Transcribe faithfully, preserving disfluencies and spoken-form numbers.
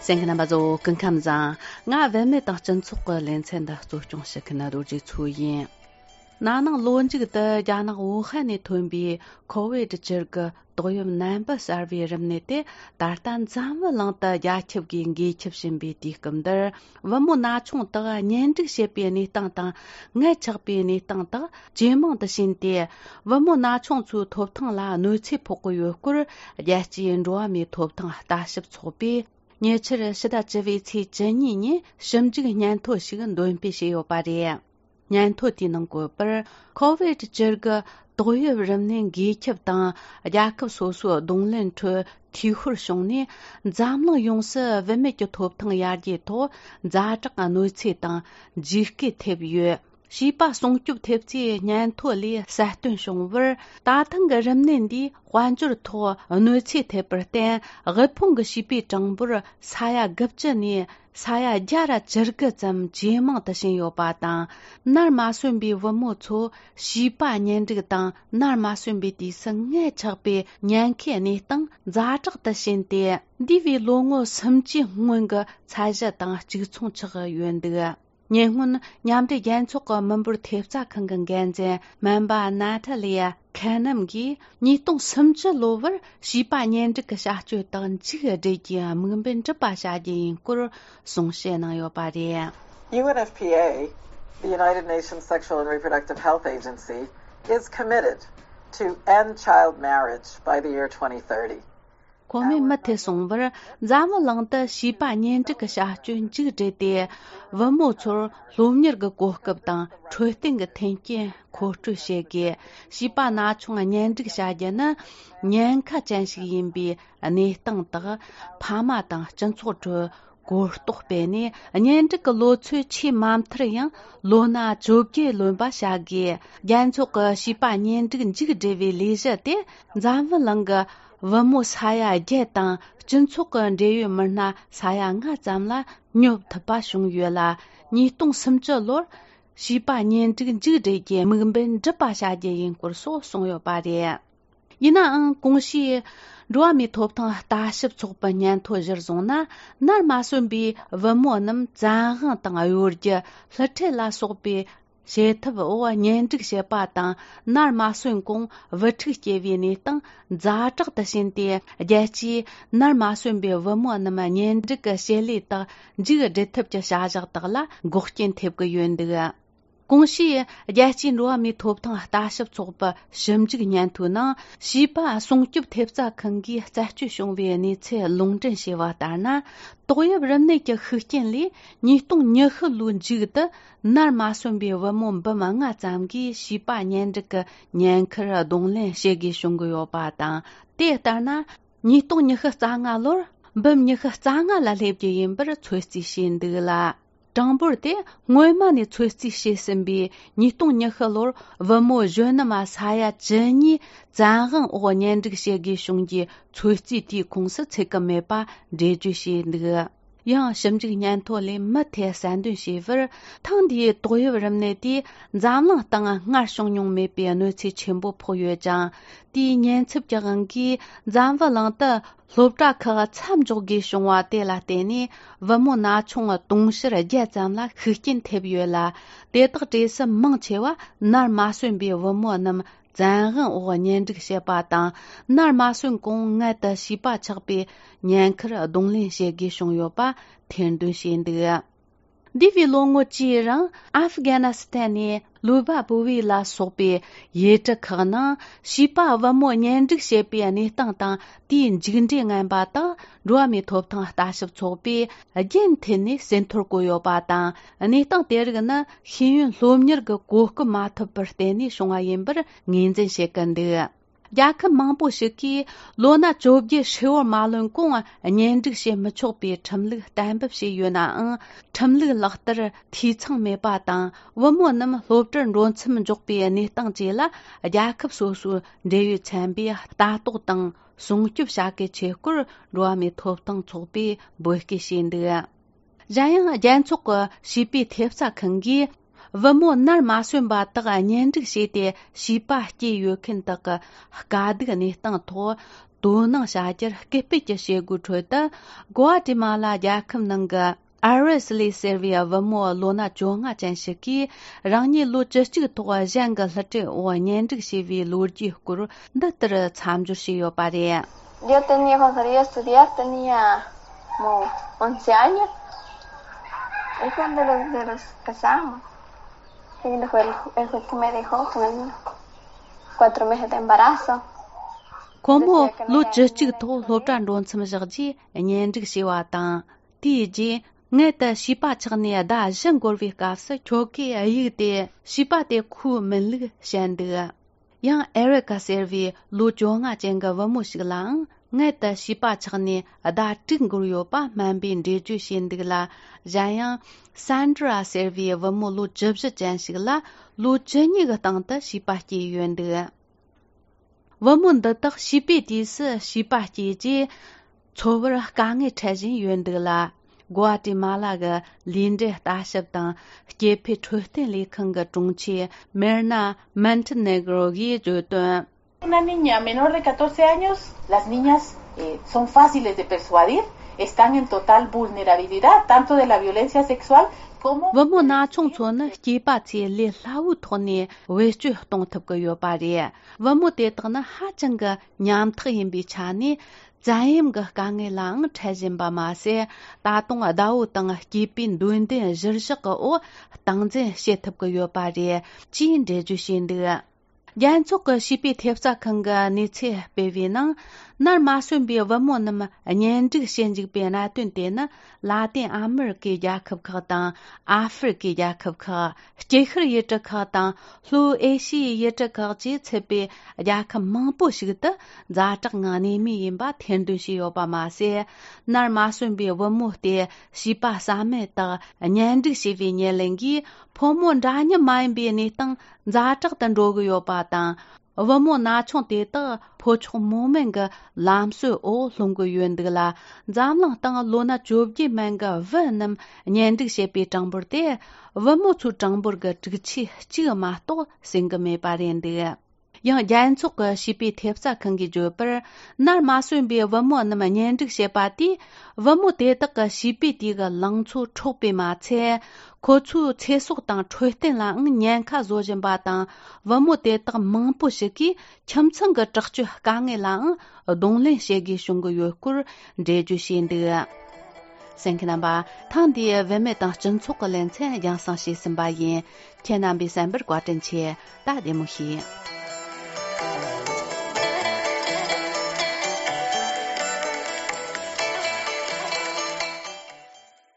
གསན་མཁན་རྣམ་པ་ཚོ་སྐུ་ཁམས་བཟང་། ང་བུད་མེད་དང་སྤྱི་ཚོགས་ཀྱི་ལེ་ཚན་འདི་གཙོ་སྐྱོང་བྱེད་མཁན་རྡོ་རྗེ་མཚོ་ཡིན། ན་ནིང་ལོ་མཇུག་ཏུ་རྒྱ་ནག་ཝུ་ཧན་ནས་ཐོན་པའི་ཁོ་ཝིད་བཅུ་དགུ་ཏོག་དབྱིབས་ནད་འབུ་གསར་བའི་རིམས་ནད་དེ་ད་ལྟ་འཛམ་བུ་གླིང་དུ་རྒྱ་ཁྱབ་ཀྱིས་འགོས་ཁྱབ་བཞིན་པའི་དུས་སྐབས་འདིར། བུ་མོ་ན་ཆུང་དག་གཉེན་སྒྲིག་བྱེད་པའི་གནས་སྟངས་དང་། མངལ་ཆགས་པའི་གནས་སྟངས་དག་ཇེ་མང་དུ་ཕྱིན་ཏེ། བུ་མོ་ན་ཆུང་ཚོའི་ཐོབ་ཐང་ལ་གནོད་འཚེ་ཕོག་གི་ཡོད་སྐོར། རྒྱལ་སྤྱིའི་འགྲོ་བ་མིའི་ཐོབ་ཐང་ལྟ་ཞིབ་ཚོགས་པས་ཉེ་ཆར་ཕྱི་ཟླ་བཅུ་པའི་ཚེས་བཅུ་གཉིས་ཉིན་ཞིབ་འཇུག་སྙན་ཐོ་ཞིག་འདོན་སྤེལ་བྱས་ཡོད་པ་རེད། སྙན་ཐོ་དེའི་ནང་བཀོད་པར། ཁོ་ཝིད་བཅུ་དགུ་ཏོག་དབྱིབས་རིམས་ནད་འགོས་ཁྱབ་དང་། རྒྱལ་ཁབ་སོ་སོའི་གདོང་ལེན་ཁྲོད་འཐུས་ཤོར་བྱུང་ནས། འཛམ་གླིང་ཡོངས་སུ་བུད་མེད་ཀྱི་ཐོབ་ཐང་ཡར་རྒྱས་ཐོག་ཛ་དྲག་གནོད་འཚེ་དང་། འཇིགས་སྐུལ་ཐེབས་ཡོད། བྱིས་པ་སྲུང་སྐྱོབ་ཐེབས་རྩའི་སྙན་ཐོ་ལས་གསལ་སྟོན་བྱུང་བར། ད་ཐེངས་ཀྱི་རིམས་ནད་འདིས་དཔལ་འབྱོར་ཐོག་གནོད་འཚེ་ཐེབས་པར་བརྟེན། དབུལ་ཕོངས་ཀྱི་བྱིས་པའི་གྲངས་འབོར་ས་ཡ་དགུ་བཅུ་ནས་ས་ཡ་བརྒྱ་ར་བཅུ་དགུ་ཙམ་ཇེ་མང་དུ་ཕྱིན་ཡོད་པ་དང་། ནར་མ་སོན་པའི་བུ་མོ་ཚོ་བྱིས་པ་གཉེན་སྒྲིག་དང་། ནར་མ་སོན་པའི་དུས་སུ་མངལ་ཆགས་པའི་ཉེན་ཁའི་གནས་སྟངས་ཛ་དྲག་ཏུ་ཕྱིན་ཏེ། འདས་པའི་ལོ་ངོ་སུམ་ཅུའི་སྔོན་གྱི་ཚད་གཞི་དང་གཅིག་མཚུངས་ཆགས་ཡོད་འདུག། ཉེ་སྔོན་མཉམ་འབྲེལ་རྒྱལ་ཚོགས་ཀྱི་མི་འབོར་ཐེབས་རྩ་ཁང་གི་འགན་འཛིན་སྨན་པ་ནཱ་ཐ་ལི་ཡ་ཁེ་ནམ་གྱིས། ཉིས་སྟོང་སུམ་ཅུ་ལོ་བར་བྱིས་པ་གཉེན་སྒྲིག་གི་བྱ་སྤྱོད་དག་མཇུག་སྒྲིལ་རྒྱུའི་དམིགས་འབེན་འགྲུབ་པ་བྱ་རྒྱུ་ཡིན་སྐོར་གསུང་བཤད་གནང་ཡོད་པ་རེད། U N F P A, the United Nations Sexual and Reproductive Health Agency, is committed to end child marriage by the year twenty thirty. གོང་མའི་མུ་མཐུད་གསུངས་པར། འཛམ་བུ་གླིང་དུ་བྱིས་པ་གཉེན་སྒྲིག་གི་བྱ་སྤྱོད་མཇུག་བསྒྲིལ་ཏེ། བུ་མོ་ཚོར་སློབ་གཉེར་གྱི་གོ་སྐབས་དང་འཕྲོད་བསྟེན་གྱི་མཐུན་རྐྱེན་མཁོ་སྤྲོད་བྱེད་དགོས། བྱིས་པ་ན་ཆུང་གཉེན་སྒྲིག་བྱ་རྒྱུ་ནི་ཉེན་ཁ་ཅན་ཞིག་ཡིན་པའི་གནས་སྟངས་དག་ཕ་མ་དང་སྤྱི་ཚོགས་ཁྲོད་གོ་རྟོགས་སྤེལ་ནས། གཉེན་སྒྲིག་གི་ལོ་ཚོད་ཆེས་མ་མཐར་ཡང་ལོ་ན་བཅོ་བརྒྱད་ལོན་པ་བྱ་དགོས། རྒྱལ་ཚོགས་ཀྱི་བྱིས་པ་གཉེན་སྒྲིག་མཇུག་སྒྲིལ་བའི་ལས་གཞི་དེ་འཛམ་བུ་གླིང་གི་བུ་མོ་ས་ཡ་བརྒྱད་དང་སྤྱི་ཚོགས་ཀྱི་འབྲེལ་ཡོད་མི་སྣ་ས་ཡ་ལྔ་ཙམ་ལ་སྙོབ་ཐུབ་པ་བྱུང་ཡོད་ལ། ཉིས་སྟོང་སུམ་ཅུ་ལོར་བྱིས་པ་གཉེན་སྒྲིག་མཇུག་སྒྲིལ་རྒྱུའི་དམིགས་འབེན་འགྲུབ་པ་བྱ་རྒྱུ་ཡིན་སྐོར་སོགས་གསུངས་ཡོད་པ་རེད། ཡིན་ནའང་། གོང་ཞུས་འགྲོ་བ་མིའི་ཐོབ་ཐང་ལྟ་ཞིབ་ཚོགས་པའི་སྙན་ཐོ་གཞིར་བཟུང་ན། ནར་མ་སོན་པའི་བུ་མོ་རྣམས་བཙན་དབང་དང་གཡོ་སྒྱུ། བསླུ་ཁྲིད་ལ་སོགས་པའི་བྱེད་ཐབས་འོག་གཉེན་སྒྲིག་བྱེད་པ་དང་། ནར་མ་སོན་གོང་བུ་ཕྲུག་སྐྱེ་བའི་གནས་སྟངས་ཛ་དྲག་ཏུ་ཕྱིན་ཏེ། རྒྱལ་སྤྱིའི་ནར་མ་སོན་པའི་བུ་མོ་རྣམས་གཉེན་སྒྲིག་གི་བྱེད་ལས་དག་མཇུག་སྒྲིལ་ཐབས་ཀྱི་བྱ་གཞག་དག་ལ་འགོག་རྐྱེན་ཐེབས་ཀྱི་ཡོད་འདུག། གོང་ཞུས་རྒྱལ་སྤྱིའི་འགྲོ་བ་མིའི་ཐོབ་ཐང་ལྟ་ཞིབ་ཚོགས་པའི་ཞིབ་འཇུག་སྙན་ཐོའི་ནང་། བྱིས་པ་སྲུང་སྐྱོབ་ཐེབས་རྩ་ཁང་གིས་རྩད་གཅོད་བྱུང་བའི་གནས་ཚུལ་ལུང་འདྲེན་བྱས་པ་ལྟར་ན། ཏོག་དབྱིབས་རིམས་ནད་ཀྱི་ཤུགས་རྐྱེན་ལས། ཉིས་སྟོང་ཉི་ཤུ་ལོའི་མཇུག་ཏུ་ནར་མ་སོན་པའི་བུ་མོ་འབུམ་ལྔ་ཙམ་གྱིས་བྱིས་པ་གཉེན་སྒྲིག་གི་ཉེན་ཁར་གདོང་ལེན་བྱེད་དགོས་བྱུང་གི་ཡོད་པ་དང་། དེ་ལྟར་ན། ཉིས་སྟོང་ཉི་ཤུ་རྩ་ལྔ་ལོར་འབུམ་ཉི་ཤུ་རྩ་ལྔ་ལ་སླེབས་རྒྱུ་ཡིན་པར་ཚོད་རྩིས་བྱས་འདུག་ལ། གྲངས་འབོར་དེ་སྔོན་མ་ནས་ཚོད་རྩིས་བྱས་ཟིན་པའི་ཉིས་སྟོང་ཉི་ཤུ་ལོར་བུ་མོ་གཞོན་ནུ་མ་ས་ཡ་བཅུ་གཉིས་བཙན་དབང་འོག་གཉེན་སྒྲིག་བྱེད་དགོས་བྱུང་རྒྱུའི་ཚོད་རྩིས་དེའི་ཁོངས་སུ་ཚུད་ཀྱི་མེད་པ་འགྲེལ་བརྗོད་བྱས་འདུག། ཡང་ཞིབ་འཇུག་སྙན་ཐོ་ལས་མུ་མཐུད་གསལ་འདོན་བྱས་པར། ཐེངས་འདིའི་ཏོག་དབྱིབས་རིམས་ནད་དེས་འཛམ་གླིང་སྟེང་སྔར་བྱུང་མྱོང་མེད་པའི་གནོད་འཚེ་ཆེན་པོ་ཕོག་ཡོད་ཅིང་། དེའི་ཉེན་ཚབས་ཀྱི་དབང་གིས་འཛམ་བུ་གླིང་དུ་སློབ་གྲྭ་ཁག་མཚམས་འཇོག་དགོས་བྱུང་བ་དེ་ལ་བརྟེན་ནས། བུ་མོ་ན་ཆུང་དུང་ཕྱུར་བརྒྱད་ཙམ་ལ་ཤུགས་རྐྱེན་ཐེབས་ཡོད་ལ། དེ་དག་གྲས་སུ་མང་ཆེ་བ་ནར་མ་སོན་པའི་བུ་མོ་རྣམས་བཙན་དབང་འོག་གཉེན་སྒྲིག་བྱེད་པ་དང་། ནར་མ་སོན་གོང་མངལ་དུ་བྱིས་པ་ཆགས་པའི་ཉེན་ཁར་གདོང་ལེན་བྱེད་དགོས་བྱུང་ཡོད་པ་ཐེར་འདོན་བྱས་འདུག། འདས་པའི་ལོ་ངོ་བཅུའི་རིང་ཨ་ཧྥི་གྷ་ནི་སི་ཐན་ནས་ལུ་བ་བུ་བི་ལ་སོགས་པའི་ཡུལ་གྲུ་ཁག་ནང་བྱིས་པ་བུ་མོ་གཉེན་སྒྲིག་བྱེད་པའི་གནས་སྟངས་དང་། དེའི་མཇུག་འབྲས་ངན་པ་དག་འགྲོ་བ་མིའི་ཐོབ་ཐང་ལྟ་ཞིབ་ཚོགས་པས་རྒྱུན་མཐུད་ནས་ཟིན་ཐོར་བཀོད་ཡོད་པ་དང་། གནས་སྟངས་དེ་རིགས་ནི་ཤེས་ཡོན་སློབ་གཉེར་གྱི་གོ་སྐབས་མ་ཐོབ་པར་བརྟེན་ནས་བྱུང་བ་ཡིན་པར་ངོས་འཛིན་བྱེད་ཀྱི་འདུག། རྒྱལ་ཁབ་མང་པོ་ཞིག་གིས་ལོ་ན་བཅོ་བརྒྱད་ཧྲིལ་བོར་མ་ལོན་གོང་གཉེན་སྒྲིག་བྱེད་མི་ཆོག་པའི་ཁྲིམས་ལུགས་གཏན་འབེབས་བྱས་ཡོད་ནའང་། ཁྲིམས་ལུགས་ལག་བསྟར་འཐུས་ཚང་མེད་པ་དང་། བུ་མོ་རྣམས་སློབ་གྲྭར་འགྲོ་མཚམས་འཇོག་པའི་གནས་སྟངས་བཅས་ལ། རྒྱལ་ཁབ་སོ་སོའི་འབྲེལ་ཡོད་ཚན་པས་ལྟ་རྟོག་དང་སྲུང་སྐྱོབ་བྱ་གལ་ཆེ་སྐོར། འགྲོ་བ་མིའི་ཐོབ་ཐང་ཚོགས་པས་འབོད་སྐུལ་བྱས་འདུག། གཞན་ཡང་། རྒྱལ་ཚོགས་ཀྱི་བྱིས་པའི་ཐེབས་རྩ་ཁང་གིས། བུ་མོ་ནར་མ་སོན་པ་དག་གཉེན་སྒྲིག་བྱས་ཏེ་བྱིས་པ་སྐྱེས་ཡོད་མཁན་དག་གི་དཀའ་སྡུག་གནས་སྟངས་ཐོག། དོ་སྣང་བྱ་རྒྱུར་སྐུལ་སྤེལ་གྱི་བྱེད་སྒོའི་ཁྲོད་དུ། གོ་ཨ་ཏི་མ་ལ་རྒྱལ་ཁབ་ནང་གི་ཨར་ཝེ་སི་ལི་ཟེར་བའི་བུ་མོ་ལོ་ན་བཅོ་ལྔ་ཅན་ཞིག་གིས་རང་ཉིད་ལོ་བཅུ་གཅིག་ཐོག་གཞན་གྱི་བསླུ་བྲིད་འོག་གཉེན་སྒྲིག་བྱས་པའི་ལོ་རྒྱུས་སྐོར་འདི་ལྟར་མཚམས་སྦྱོར་བྱས་ཡོད་པ་རེད། Yo tenía, cuando salí a estudiar, tenía como once años. Y cuando los, de los casamos, él fue el, él fue el que me dejó con el niño. Cuatro meses de embarazo. ཁོ་མོ་ལོ་བཅུ་གཅིག་ཐོག་སློབ་གྲྭ་འགྲོ་མཚམས་བཞག་རྗེས་གཉེན་སྒྲིག་བྱས་པ་དང་། དེའི་རྗེས་མངལ་དུ་བྱིས་པ་ཆགས་ནས་ཟླ་བཞི་འགོར་བའི་སྐབས་སུ་ཁྱོ་གས་གཡུགས་ཏེ་བྱིས་པ་དེ་ཁོའི་མིན་ལུགས་བཤད་འདུག། ཡང་ཨེ་རི་ཀ་ཟེར་བའི་ལོ་བཅོ་ལྔ་ཅན་གྱི་བུ་མོ་ཞིག་ལའང་མངལ་དུ་བྱིས་པ་ཆགས་ནས་ཟླ་དྲུག་འགོར་ཡོད་པ་སྨན་པས་འགྲེལ་བརྗོད་བྱས་འདུག་ལ། གཞན་ཡང་སན་ཌྲ་ཟེར་བའི་བུ་མོ་ལོ་བཅུ་བཞི་ཅན་ཞིག་ལ་ལོ་བཅུ་གཉིས་ཀྱི་སྟེང་དུ་བྱིས་པ་སྐྱེས་ཡོད་འདུག། བུ་མོ་འདི་དག་བྱིས་པའི་དུས་སུ་བྱིས་པ་སྐྱེས་རྗེས་འཚོ་བར་དཀའ་ངལ་འཕྲད་བཞིན་ཡོད་འདུག་ལ། གོ་ཨ་ཏི་མ་ལ་གི་ལུས་འབྲེལ་ལྟ་ཞིབ་དང་སྐྱེ་འཕེལ་འཕྲོད་བསྟེན་ལས་ཁང་གི་དྲུང་ཆེ་མེར་ན་མན་ཏི་ནེ་གྲོ་གིས་བརྗོད་དོན། Una niña menor de catorce años, las niñas, eh, son fáciles de persuadir, están en total vulnerabilidad tanto de la violencia sexual como བུ་མོ་ན་ཆུང་ཚོ་ནི་སྐྱེས་པ་ཚོས་ལས་སླ་བོའི་ཐོག་ནས་བེད་སྤྱོད་གཏོང་ཐུབ་ཀྱི་ཡོད་པ་རེད། བུ་མོ་དེ་དག་ནི་ཧ་ཅང་གི་ཉམ་ཐག་ཡིན་པའི་ཆ་ནས། བཙན་གཡེམ་གྱི་དཀའ་ངལ་ལའང་འཕྲད་བཞིན་པ་མ་ཟད། ད་དུང་ཟླ་བོ་དང་སྐྱེས་པའི་འདོད་འདུན་གཞིར་བཞག་གི་འོག་སྟངས་འཛིན་བྱེད་ཐུབ་ཀྱི་ཡོད་པ་རེད། ཅེས་འགྲེལ་བརྗོད་བྱས་འདུག། རྒྱལ་ཚོགས་ཀྱི་བྱིས་པའི་ཐེབས་རྩ་ཁང་གིས་གནས་ཚུལ་སྤེལ་བའི་ནང་། ནར་མ་སོན་པའི་བུ་མོ་རྣམས་གཉེན་སྒྲིག་བྱེད་འཇུག་པའི་གནད་དོན་དེ་ནི་ལ་ཏིན་ཨ་མི་རི་ཀའི་རྒྱལ་ཁབ་ཁག་དང་། ཨ་ཧྥེ་རི་ཀའི་རྒྱལ་ཁབ་ཁག། དཀྱིལ་ཤར་ཡུལ་གྲུ་ཁག་དང་། ལྷོའི་ཨེ་ཤི་ཡའི་ཡུལ་གྲུ་ཁག་བཅས་ཚུད་པའི་རྒྱལ་ཁབ་མང་པོ་ཞིག་ཏུ་ཛ་དྲག་ངང་གནས་མུས་ཡིན་པ་ཐེར་འདོན་བྱས་ཡོད་པ་མ་ཟད། ནར་མ་སོན་པའི་བུ་མོ་དེ་བྱིས་པ་བསམ་མེད་དག་གཉེན་སྒྲིག་བྱས་པའི་ཉེར་ལེན་གྱིས་ཕོ་མོ་འདྲ་མཉམ་མ་ཡིན་པའི་གནས་སྟངས་ཛ་དྲག་ཏུ་འགྲོ་གི་ཡོད་པ་དང་། བུ་མོ་ན་ཆུང་དེ་དག་ཕོ་མཆོག་མོ་དམན་གྱི་ལམ་སྲོལ་འོག་ལྷུང་གི་ཡོད་འདུག་ལ། འཛམ་གླིང་སྟེང་ལོ་ན་བཅོ་བརྒྱད་མན་གྱི་བུ་རྣམས་གཉེན་སྒྲིག་བྱེད་པའི་གྲངས་འབོར་དེ། བུ་མོ་ཚོའི་གྲངས་འབོར་གྱི་དྲུག་ཆའི་གཅིག་མ་གཏོགས་ཟིན་གྱི་མེད་པ་རེད་འདུག། ཡང་རྒྱལ་ཚོགས་ཀྱི་བྱིས་པའི་ཐེབས་རྩ་ཁང་གིས་བརྗོད་པར། ནར་མ་སོན་པའི་བུ་མོ་རྣམས་གཉེན་སྒྲིག་བྱེད་པ་དེས། བུ་མོ་དེ་དག་གི་བྱིས་པའི་དུས་ཀྱི་ལང་ཚོ་འཕྲོག་པས་མ་ཚད། ཁོ་ཚོའི་ཚེ་སྲོག་དང་འཕྲོད་བསྟེན་ལའང་ཉེན་ཁ་བཟོ་བཞིན་པ་དང་། བུ་མོ་དེ་དག་མང་པོ་ཞིག་གིས་ཁྱིམ་ཚང་གི་དྲག་སྤྱོད་དཀའ་ངལ་ལའང་གདོང་ལེན་བྱེད་དགོས་བྱུང་གི་ཡོད་སྐོར་འགྲེལ་བརྗོད་བྱས་འདུག། གསན་མཁན་རྣམ་པ། ཐེངས་འདིའི་བུད་མེད་དང་སྤྱི་ཚོགས་ཀྱི་ལེ་ཚན་རྒྱང་སྲིང་བྱས་ཟིན་པ་ཡིན། ཁྱེད་རྣམ་པའི་གསན་པར་བཀའ་དྲིན་ཆེ། ད་བདེ་མོ་བྱོས།